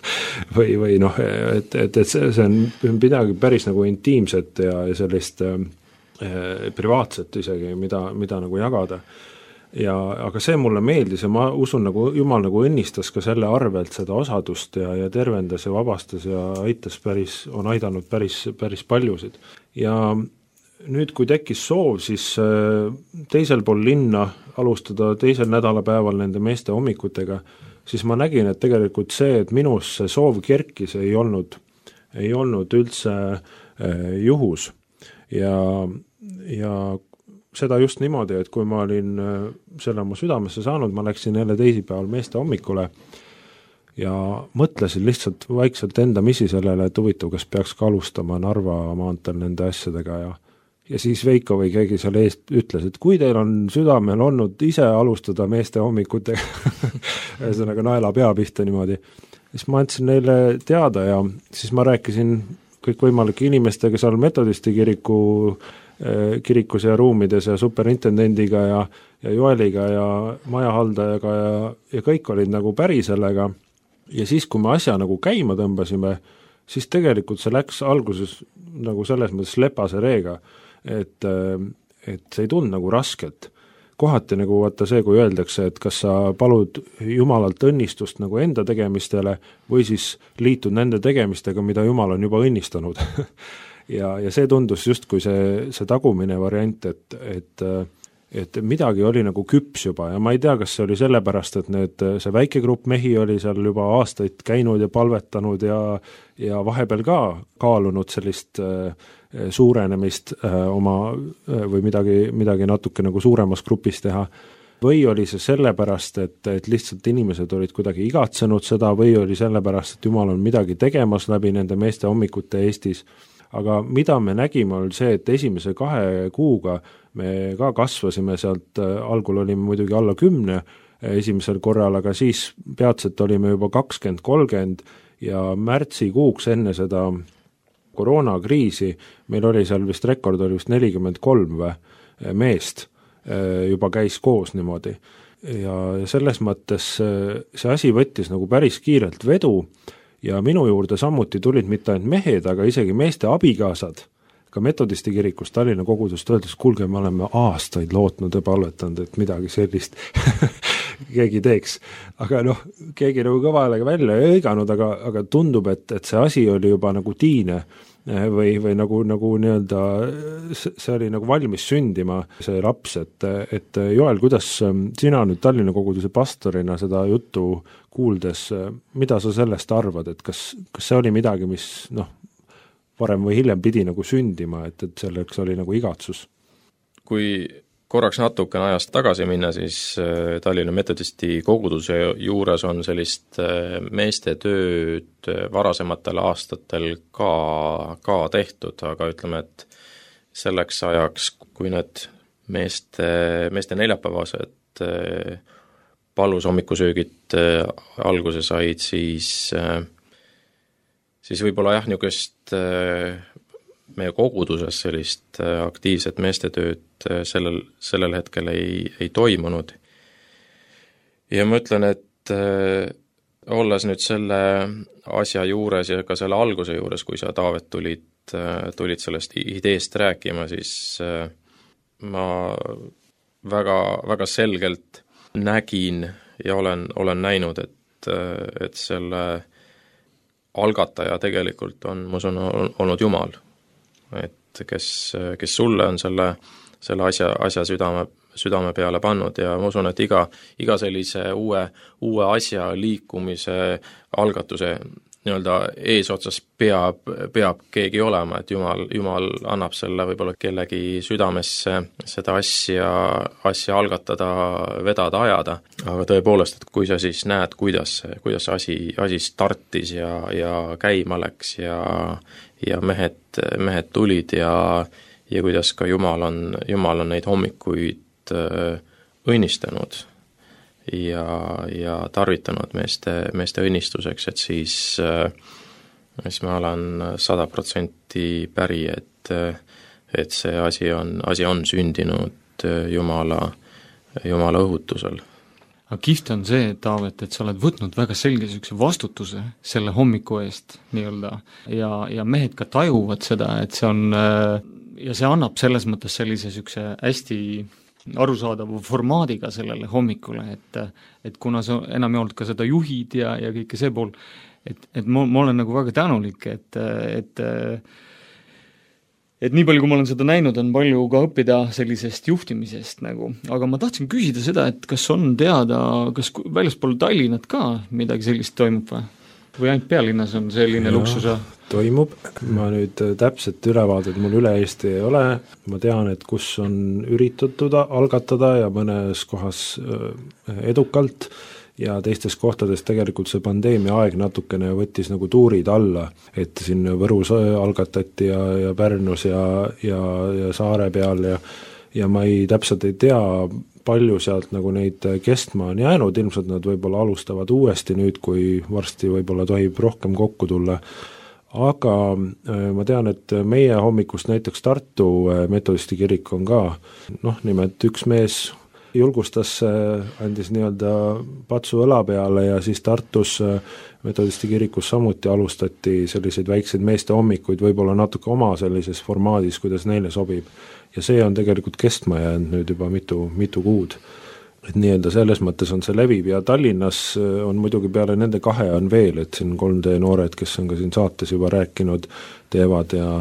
või, või noh, et, et, et see, see on midagi päris nagu intiimset ja, ja sellist äh, privaatset isegi, mida, mida nagu jagada. Ja, aga see mulle meeldis ja ma usun, nagu Jumal nagu õnnistas ka selle arvelt seda osadust ja, ja tervendas ja vabastas ja aitas päris, on aidanud päris, päris paljusid. Ja nüüd, kui tekkis soov, siis teisel pool linna alustada teisel nädalapäeval nende meeste hommikutega, siis ma nägin, et tegelikult see, et minus see soov kerkis, ei olnud, ei olnud üldse juhus. Ja, ja seda just niimoodi, et kui ma olin selle oma südamesse saanud, ma läksin jälle teisipäeval meeste hommikule ja mõtlesin lihtsalt vaikselt enda misi sellele, et huvitav, kas peaks ka alustama Narva maantel nende asjadega ja Ja siis Veiko või keegi seal eest ütles, et kui teil on südamel olnud ise alustada meeste hommikutega, ühesõnaga naela pea pihta niimoodi, siis ma andsin neile teada ja siis ma rääkisin kõikvõimalike inimestega seal metodisti kiriku, kirikus ja ruumides ja superintendendiga ja, ja Joeliga ja majahaldajaga ja, ja kõik olid nagu päri sellega. Ja siis, kui me asja nagu käima tõmbasime, siis tegelikult see läks alguses nagu selles mõttes lepase reega, et, et see ei tund nagu rasket. Kohati nagu vaata see, kui öeldakse, et kas sa palud Jumalalt õnnistust nagu enda tegemistele või siis liitud nende tegemistega, mida Jumal on juba õnnistanud. ja, ja see tundus just kui see, see tagumine variant, et, et, et midagi oli nagu küps juba ja ma ei tea, kas see oli sellepärast, et need, see väike grupp mehi oli seal juba aastaid käinud ja palvetanud ja, ja vahepeal ka kaalunud sellist äh, suurenemist äh, oma äh, või midagi, midagi natuke nagu suuremas grupis teha. Või oli see sellepärast, et, et lihtsalt inimesed olid kuidagi igatsenud seda või oli sellepärast, et Jumal on midagi tegemas läbi nende meeste hommikute Eestis. Aga mida me nägime, oli see, et esimese kahe kuuga me ka kasvasime sealt, algul olime muidugi alla kümne esimesel korral, aga siis peatselt olime juba kakskümmend kolmkümmend ja märtsikuuks enne seda koroonakriisi meil oli seal vist rekord, oli vist nelikümmend kolm meest juba käis koos niimoodi. Ja selles mõttes see asi võttis nagu päris kiirelt vedu ja minu juurde samuti tulid mitte ainult mehed, aga isegi meeste abikaasad, ka metodisti kirikus Tallinna kogudust öeldes, kuulge, me oleme aastaid lootnud ja palvetanud, et midagi sellist keegi teeks. Aga noh, keegi nagu kõva häälega välja ei õiganud, aga, aga tundub, et, et see asi oli juba nagu tiine või, või nagu, nagu nii-öelda see oli nagu valmis sündima, see laps, et, et Joel, kuidas sina nüüd Tallinna koguduse pastorina seda juttu kuuldes, mida sa sellest arvad, et kas, kas see oli midagi, mis noh, varem või hiljem pidi nagu sündima, et, et selleks oli nagu igatsus? Kui korraks natukene ajast tagasi minna, siis Tallinna metodisti koguduse juures on sellist meeste tööd varasematel aastatel ka, ka tehtud, aga ütleme, et selleks ajaks, kui need meeste, meeste neljapäevased palus hommikusöögid alguse said, siis, siis võib-olla jah, niisugust meie koguduses sellist aktiivset meestetööd sellel, sellel hetkel ei, ei toimunud. Ja ma ütlen, et olles nüüd selle asja juures ja ka selle alguse juures, kui sa, Taavet, tulid, tulid sellest ideest rääkima, siis ma väga, väga selgelt nägin ja olen, olen näinud, et, et selle algataja tegelikult on, ma usun, olnud Jumal. Et kes, kes sulle on selle, selle asja, asja südame, südame peale pannud ja ma usun, et iga, iga sellise uue, uue asja liikumise algatuse nii-öelda eesotsas peab, peab keegi olema, et Jumal, Jumal annab selle võib-olla kellegi südamesse seda asja, asja algatada, vedada, ajada, aga tõepoolest, et kui sa siis näed, kuidas, kuidas see asi, asi startis ja, ja käima läks ja, ja mehed, mehed tulid ja, ja kuidas ka Jumal on, Jumal on neid hommikuid õnnistanud ja, ja tarvitanud meeste, meeste õnnistuseks, et siis, siis ma olen sada protsenti päri, et, et see asi on, asi on sündinud Jumala, Jumala õhutusel. Aga kihvt on see, Taavet, et sa oled võtnud väga selge sükse vastutuse selle hommiku eest nii-öelda ja, ja mehed ka tajuvad seda, et see on ja see annab selles mõttes sellise sükse hästi arusaadava formaadiga sellele hommikule, et, et kuna sa enam ei olnud ka seda juhid ja, ja kõike see pool, et, et ma, ma olen nagu väga tänulik, et, et et nii palju, kui ma olen seda näinud, on palju ka õppida sellisest juhtimisest nagu, aga ma tahtsin küsida seda, et kas on teada, kas väljaspool Tallinnat ka midagi sellist toimub või? Või ainult pealinnas on selline ja, luksusa? Toimub, ma nüüd täpselt ülevaadet mul üle Eesti ei ole, ma tean, et kus on üritatud algatada ja mõnes kohas edukalt ja teistes kohtades tegelikult see pandeemia aeg natukene võttis nagu tuurid alla, et siin Võrus algatati ja, ja Pärnus ja, ja, ja Saare peal ja, ja ma ei, täpselt ei tea, palju sealt nagu neid kestma on jäänud, ilmselt nad võib-olla alustavad uuesti nüüd, kui varsti võib-olla tohib rohkem kokku tulla, aga ma tean, et meie hommikust näiteks Tartu metodisti kirik on ka, noh, nimelt üks mees julgustas, andis nii-öelda patsu õla peale ja siis Tartus metodisti kirikus samuti alustati selliseid väikseid meeste hommikuid, võib-olla natuke oma sellises formaadis, kuidas neile sobib. Ja see on tegelikult kestma jäänud nüüd juba mitu, mitu kuud. Et nii-öelda selles mõttes on see leviv ja Tallinnas on muidugi peale nende kahe on veel, et siin kolm D noored, kes on ka siin saates juba rääkinud, teevad ja,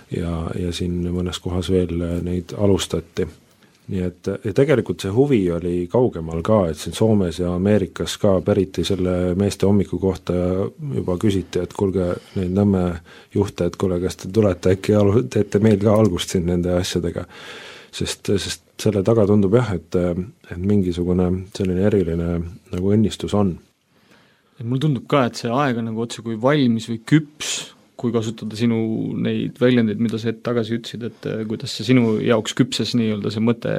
ja, ja siin mõnes kohas veel neid alustati. Nii et ja tegelikult see huvi oli kaugemal ka, et siin Soomes ja Ameerikas ka päriti selle meeste hommiku kohta ja juba küsiti, et kuulge neid Nõmme juhte, et kuule, kas te tulete äkki alu, teete meil ka algust siin nende asjadega, sest, sest selle taga tundub jah, et, et mingisugune selline eriline nagu õnnistus on. Et mul tundub ka, et see aeg on nagu otse kui valmis või küps, kui kasutada sinu neid väljendeid, mida sa hetk tagasi ütlesid, et kuidas see sinu jaoks küpses nii-öelda see mõte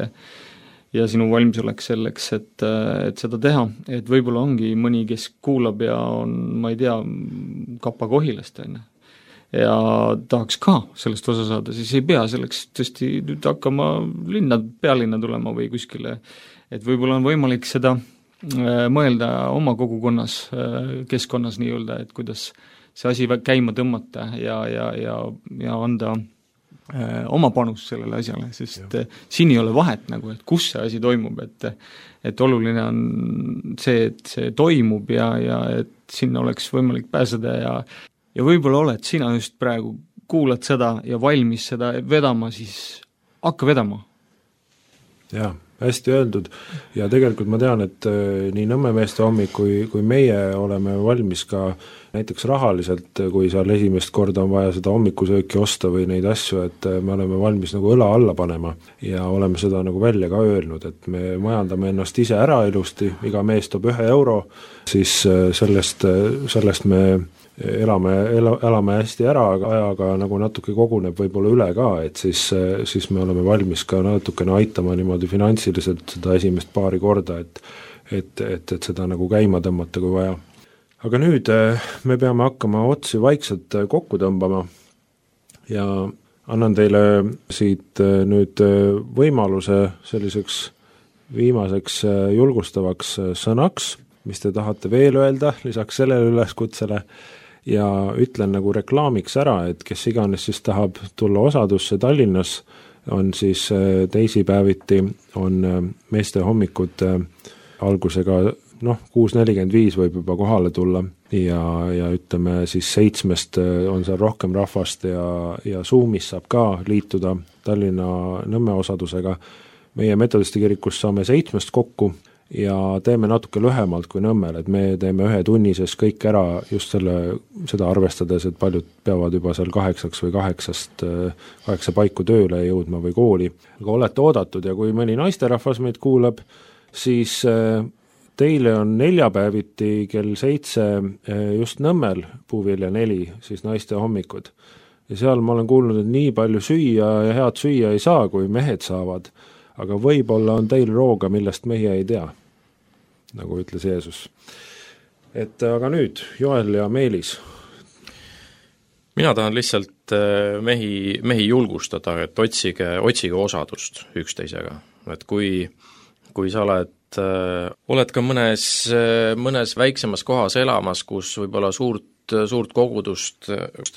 ja sinu valmisolek selleks, et, et seda teha, et võib-olla ongi mõni, kes kuulab ja on, ma ei tea, Kapa-Kohilast, on. ja tahaks ka sellest osa saada, siis ei pea selleks tõesti nüüd hakkama linna, pealinna tulema või kuskile, et võib-olla on võimalik seda mõelda oma kogukonnas, keskkonnas nii-öelda, et kuidas see asi käima tõmmata ja, ja, ja, ja anda äh, oma panus sellele asjale, sest ja. Siin ei ole vahet nagu, et kus see asi toimub, et, et oluline on see, et see toimub ja, ja et sinna oleks võimalik pääseda ja, ja võib-olla oled sina just praegu kuulad seda ja valmis seda vedama, siis hakka vedama. Jah, hästi öeldud ja tegelikult ma tean, et nii Nõmme meeste hommik kui, kui meie oleme valmis ka näiteks rahaliselt, kui seal esimest korda on vaja seda hommikusööki osta või neid asju, et me oleme valmis nagu õla alla panema ja oleme seda nagu välja ka öelnud, et me majandame ennast ise ära ilusti, iga mees toob ühe euro, siis sellest, sellest me elame, ela, elame hästi ära, aga ajaga nagu natuke koguneb võib-olla üle ka, et siis, siis me oleme valmis ka natukene aitama niimoodi finantsiliselt seda esimest paari korda, et, et, et, et seda nagu käima tõmmata, kui vaja. Aga nüüd me peame hakkama otsi vaikselt kokku tõmbama ja annan teile siit nüüd võimaluse selliseks viimaseks julgustavaks sõnaks, mis te tahate veel öelda lisaks sellele üleskutsele ja ütlen nagu reklaamiks ära, et kes iganes siis tahab tulla osadusse Tallinnas, on siis teisipäeviti on meeste hommikud algusega noh, kuus nelikümmend viis võib juba kohale tulla ja, ja ütleme siis seitsmest on seal rohkem rahvast ja, ja Zoomis saab ka liituda Tallinna Nõmme osadusega. Meie metodisti kirikus saame seitsmest kokku ja teeme natuke lühemalt kui Nõmmel, et me teeme ühe tunnises kõik ära just selle, seda arvestades, et paljud peavad juba seal kaheksaks või kaheksast, kaheksa paiku tööle jõudma või kooli. Aga olete oodatud ja kui mõni naisterahvas meid kuulab, siis teile on neljapäeviti kell seitse just Nõmmel Puuvilja neli, siis naiste hommikud. Ja seal ma olen kuulnud, et nii palju süüa ja head süüa ei saa, kui mehed saavad, aga võib-olla on teil rooga, millest meie ei tea, nagu ütles Jeesus. Et aga nüüd, Joel ja Meelis. Mina tahan lihtsalt mehi, mehi julgustada, et otsige, otsige osadust üksteisega. Et kui, kui sa oled et oled ka mõnes, mõnes väiksemas kohas elamas, kus võib-olla suurt, suurt kogudust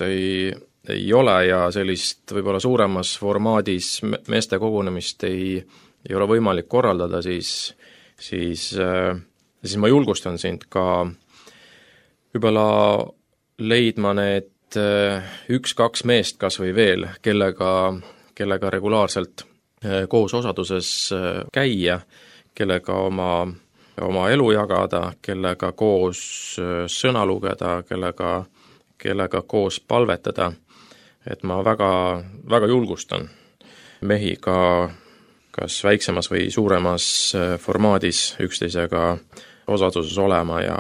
ei, ei ole ja sellist võib-olla suuremas formaadis meeste kogunemist ei, ei ole võimalik korraldada, siis, siis, siis ma julgustan sind ka võib-olla leidma need üks-kaks meest kas või veel, kellega, kellega regulaarselt koos osaduses käia, kellega oma, oma elu jagada, kellega koos sõna lugeda, kellega, kellega koos palvetada. Et ma väga, väga julgustan mehi ka kas väiksemas või suuremas formaadis üksteisega osaduses olema ja,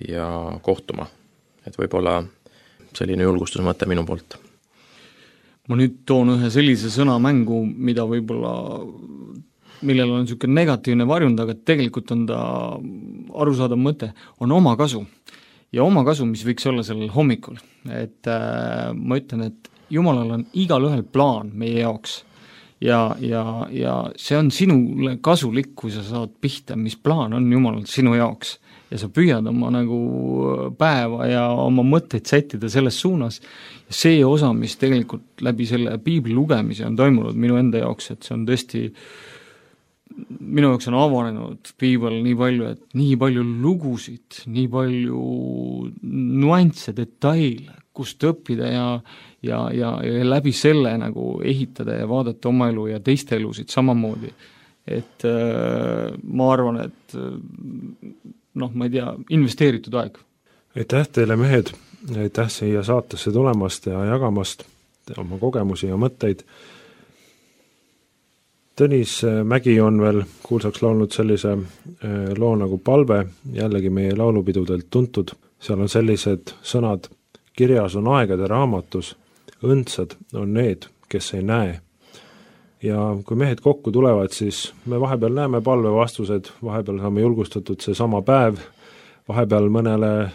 ja kohtuma. Et võib-olla selline julgustusmõte minu poolt. Ma nüüd toon ühe sellise sõna mängu, mida võib-olla millel on niisugune negatiivne varjund, aga tegelikult on ta arusaadav mõte, on oma kasu. Ja oma kasu, mis võiks olla sellel hommikul. Et äh, ma ütlen, et Jumalal on igal ühel plaan meie jaoks. Ja, ja, ja see on sinule kasulik, kui sa saad pihta, mis plaan on Jumalal sinu jaoks. Ja sa püüad oma nagu päeva ja oma mõtteid sättida selles suunas. Ja see osa, mis tegelikult läbi selle piibli lugemise on toimunud minu enda jaoks, et see on tõesti minu jaoks on avanenud piibel nii palju, et nii palju lugusid, nii palju nuansse, detaile, kust õppida ja, ja, ja, ja läbi selle nagu ehitada ja vaadata oma elu ja teiste elusid samamoodi. Et äh, ma arvan, et noh, ma ei tea, investeeritud aeg. Aitäh teile, mehed, aitäh siia saatesse tulemast ja jagamast oma kogemusi ja mõtteid. Tõnis Mägi on veel kuulsaks laulnud sellise loo nagu Palve, jällegi meie laulupidudelt tuntud. Seal on sellised sõnad, kirjas on aegade raamatus, õndsad on need, kes ei näe. Ja kui mehed kokku tulevad, siis me vahepeal näeme palve vastused, vahepeal saame julgustatud see sama päev, vahepeal mõnele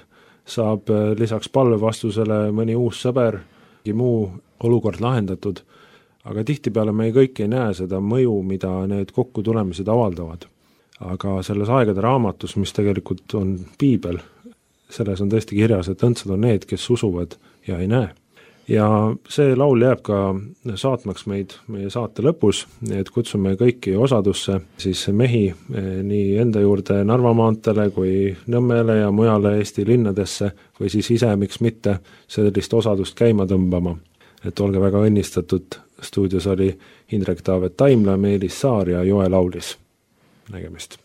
saab lisaks palve vastusele mõni uus sõber, muu olukord lahendatud. Aga tihtipeale me kõik ei näe seda mõju, mida need kokkutulemised avaldavad. Aga selles aegade raamatus, mis tegelikult on piibel, selles on tõesti kirjas, et õndsad on need, kes usuvad ja ei näe. Ja see laul jääb ka saatmaks meid meie saate lõpus, et kutsume kõiki osadusse, siis mehi nii enda juurde Narva maantele kui Nõmmele ja mujale Eesti linnadesse või siis ise, miks mitte, sellist osadust käima tõmbama. et olge väga õnnistatud, stuudios oli Indrek Taavet Taimla, Meelis Saar ja Joel Aulis. Nägemist!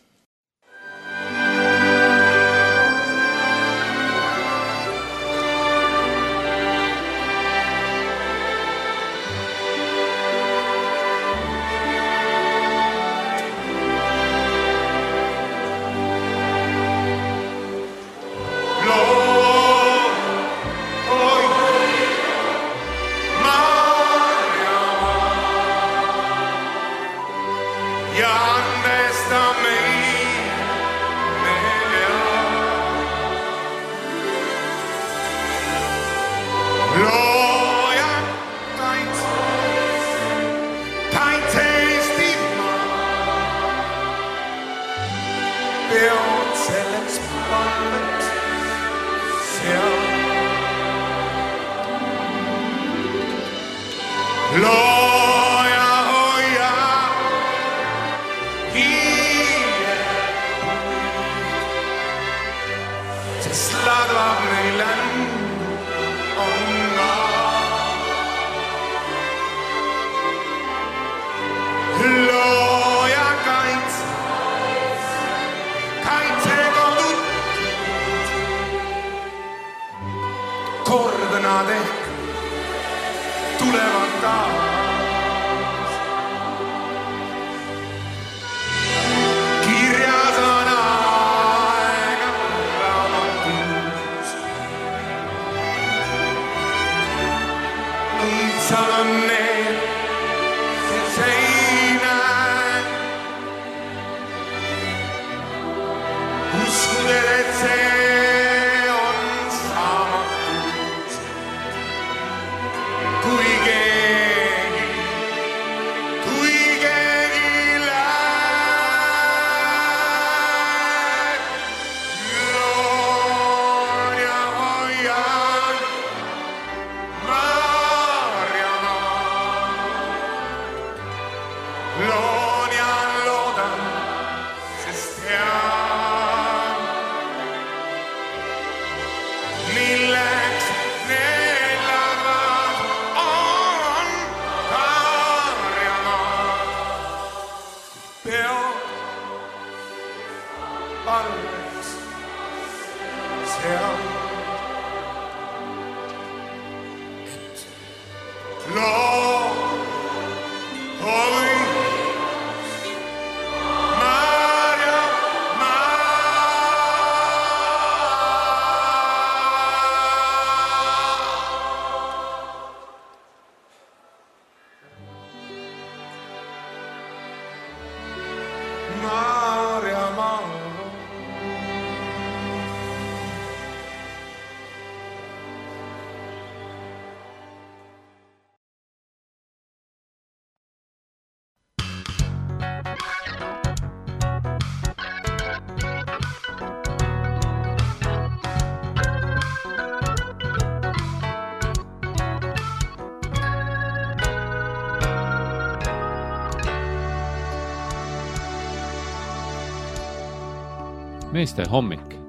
Meeste hommik.